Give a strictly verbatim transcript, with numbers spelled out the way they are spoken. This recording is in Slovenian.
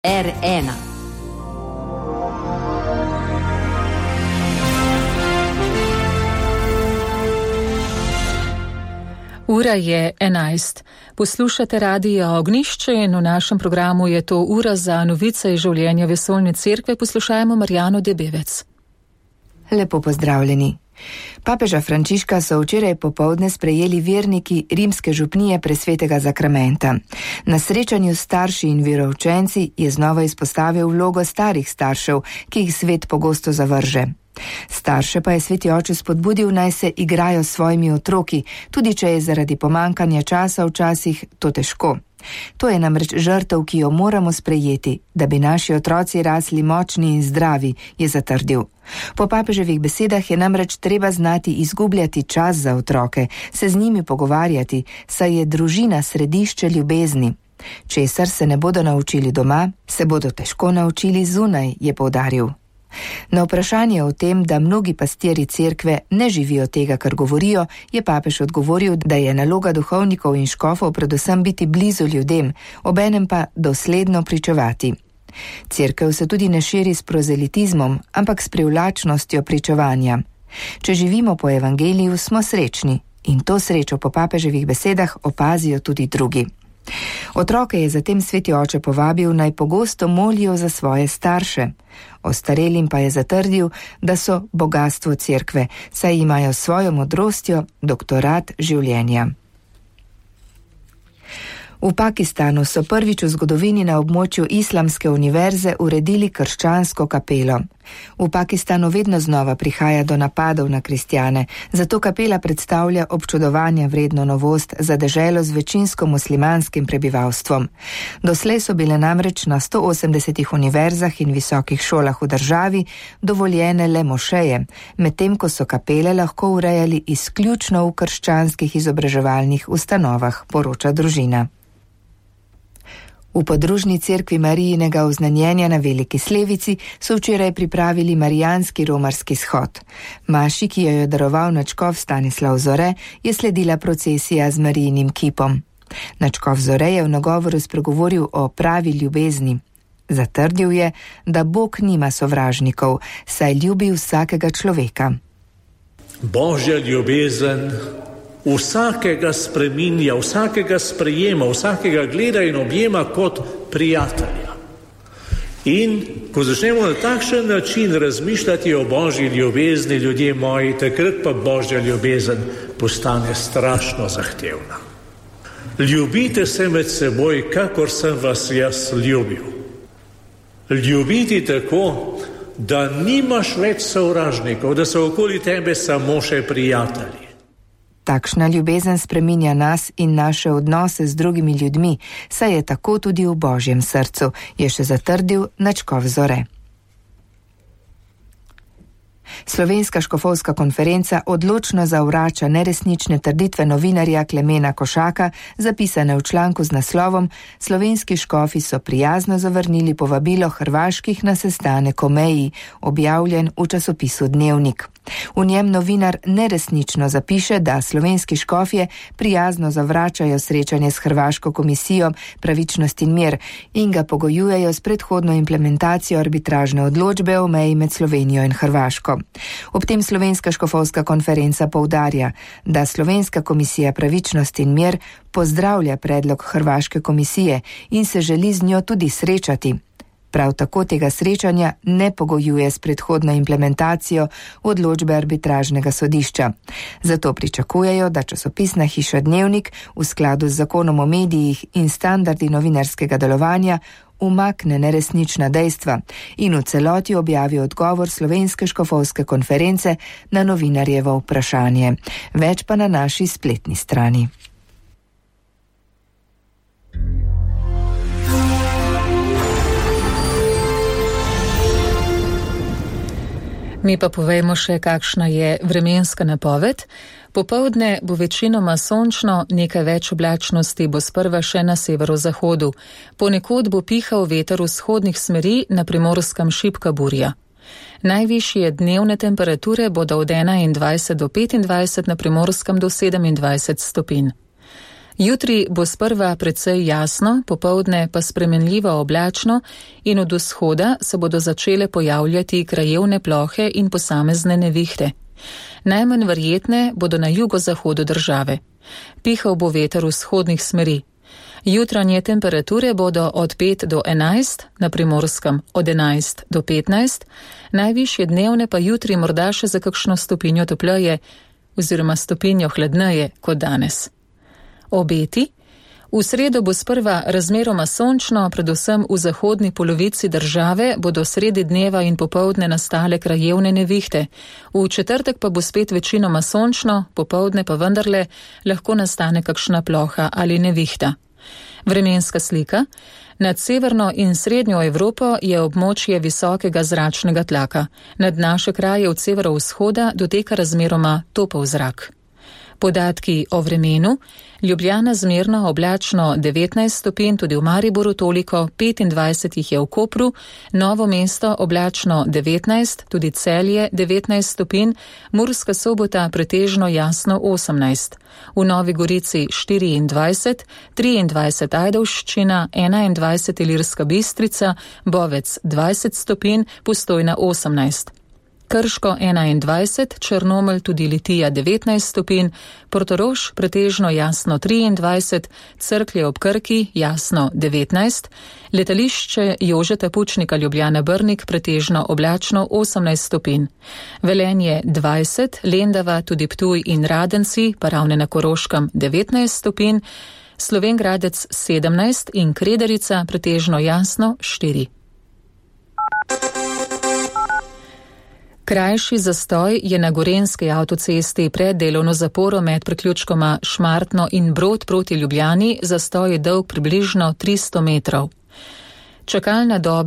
R ena. Ura je enajst. Poslušate Radio Ognjišče in v našem programu je to ura za novice iz življenja Vesoljne cerkve. Poslušajmo Marjano Debevec. Lepo pozdravljeni. Papeža Frančiška so včeraj popoldne sprejeli verniki rimske župnije Presvetega zakramenta. Na srečanju s starši in veroučenci je znova izpostavil vlogo starih staršev, ki jih svet pogosto zavrže. Starše pa je sveti oče spodbudil, naj se igrajo s svojimi otroki, tudi če je zaradi pomankanja časa včasih to težko. To je namreč žrtev, ki jo moramo sprejeti, da bi naši otroci rasli močni in zdravi, je zatrdil. Po papeževih besedah je namreč treba znati izgubljati čas za otroke, se z njimi pogovarjati, saj je družina središče ljubezni. Česar se ne bodo naučili doma, se bodo težko naučili zunaj, je poudaril. Na vprašanje o tem, da mnogi pastirji cerkve ne živijo tega, kar govorijo, je papež odgovoril, da je naloga duhovnikov in škofov predvsem biti blizu ljudem, obenem pa dosledno pričevati. Cerkev se tudi ne širi s prozelitizmom, ampak s privlačnostjo pričevanja. Če živimo po evangeliju, smo srečni in to srečo po papeževih besedah opazijo tudi drugi. Otroke je zatem sveti oče povabil, naj pogosto molijo za svoje starše. Ostarelim pa je zatrdil, da so bogastvo cerkve, saj imajo svojo modrostjo doktorat življenja. V Pakistanu so prvič v zgodovini na območju Islamske univerze uredili krščansko kapelo. V Pakistanu vedno znova prihaja do napadov na kristjane, zato kapela predstavlja občudovanja vredno novost za deželo z večinsko muslimanskim prebivalstvom. Doslej so bile namreč na sto osemdesetih univerzah in visokih šolah v državi dovoljene le mošeje, medtem ko so kapele lahko urejali izključno v krščanskih izobraževalnih ustanovah, poroča družina. V podružni cerkvi Marijinega oznanjenja na Veliki Slevici so včeraj pripravili marijanski romarski shod. Maši, ki jo je daroval nadškof Stanislav Zore, je sledila procesija z Marijinim kipom. Nadškof Zore je v nagovoru spregovoril o pravi ljubezni. Zatrdil je, da Bog nima sovražnikov, saj ljubi vsakega človeka. Božja ljubezen vsakega spreminja, vsakega sprejema, vsakega gleda in objema kot prijatelja. In ko začnemo na takšen način razmišljati o Božji ljubezni, ljudje moji, takrat pa Božja ljubezen postane strašno zahtevna. Ljubite se med seboj, kakor sem vas jaz ljubil. Ljubiti tako, da nimaš več sovražnikov, da so okoli tebe samo še prijatelji. Takšna ljubezen spreminja nas in naše odnose z drugimi ljudmi, saj je tako tudi v Božjem srcu, je še zatrdil nadškof Zore. Slovenska škofovska konferenca odločno zavrača neresnične trditve novinarja Klemena Košaka, zapisane v članku z naslovom Slovenski škofi so prijazno zavrnili povabilo hrvaških na sestanek o meji, objavljen v časopisu Dnevnik. V njem novinar neresnično zapiše, da slovenski škofje prijazno zavračajo srečanje s hrvaško komisijo Pravičnost in mir in ga pogojujejo s predhodno implementacijo arbitražne odločbe o meji med Slovenijo in Hrvaško. Ob tem Slovenska škofovska konferenca poudarja, da Slovenska komisija Pravičnost in mir pozdravlja predlog hrvaške komisije in se želi z njo tudi srečati. Prav tako tega srečanja ne pogojuje s predhodno implementacijo odločbe arbitražnega sodišča. Zato pričakujejo, da časopisna hiša Dnevnik v skladu z zakonom o medijih in standardi novinarskega delovanja umakne neresnična dejstva in v celoti objavi odgovor Slovenske škofovske konference na novinarjevo vprašanje. Več pa na naši spletni strani. Mi pa povejmo še, kakšna je vremenska napoved. Popoldne bo večinoma sončno, nekaj več oblačnosti bo sprva še na severozahodu. Ponekod bo pihal veter vzhodnih smeri, na Primorskem šibka burja. Najvišje dnevne temperature bodo od enaindvajset do petindvajset, na Primorskem do sedemindvajset stopinj. Jutri bo sprva precej jasno, popoldne pa spremenljivo oblačno in od vzhoda se bodo začele pojavljati krajevne plohe in posamezne nevihte. Najmanj verjetne bodo na jugozahodu države. Pihal bo veter vzhodnih smeri. Jutranje temperature bodo od pet do enajst, na Primorskem od enajst do petnajst, najvišje dnevne pa jutri morda še za kakšno stopinjo topleje oziroma stopinjo hladneje kot danes. Obeti. V sredo bo sprva razmeroma sončno, predvsem v zahodni polovici države bodo sredi dneva in popoldne nastale krajevne nevihte. V četrtek pa bo spet večinoma sončno, popoldne pa vendarle lahko nastane kakšna ploha ali nevihta. Vremenska slika. Nad severno in srednjo Evropo je območje visokega zračnega tlaka. Nad naše kraje od severovzhoda doteka razmeroma topel zrak. Podatki o vremenu. Ljubljana zmerno oblačno devetnajst stopinj, tudi v Mariboru toliko, petindvajset jih je v Kopru, Novo mesto oblačno devetnajst, tudi Celje devetnajst stopinj, Murska Sobota pretežno jasno osemnajst. V Novi Gorici štiriindvajset, triindvajset Ajdovščina, enaindvajset Ilirska Bistrica, Bovec dvajset stopinj, Postojna osemnajst. Krško enaindvajset, Črnomelj tudi Litija devetnajst stopinj, Portorož pretežno jasno triindvajset, Cerklje ob Krki jasno devetnajst, letališče Jožeta Pučnika Ljubljana Brnik pretežno oblačno osemnajst stopinj, Velenje dvajset, Lendava tudi Ptuj in Radenci, pa ravne na Koroškem devetnajst stopinj, Slovenj Gradec sedemnajst in Kredarica pretežno jasno štiri. Krajši zastoj je na Gorenjski avtocesti pred delovno zaporo med priključkoma Šmartno in Brod proti Ljubljani, zastoj je dolg približno tristo metrov. Čakalna doba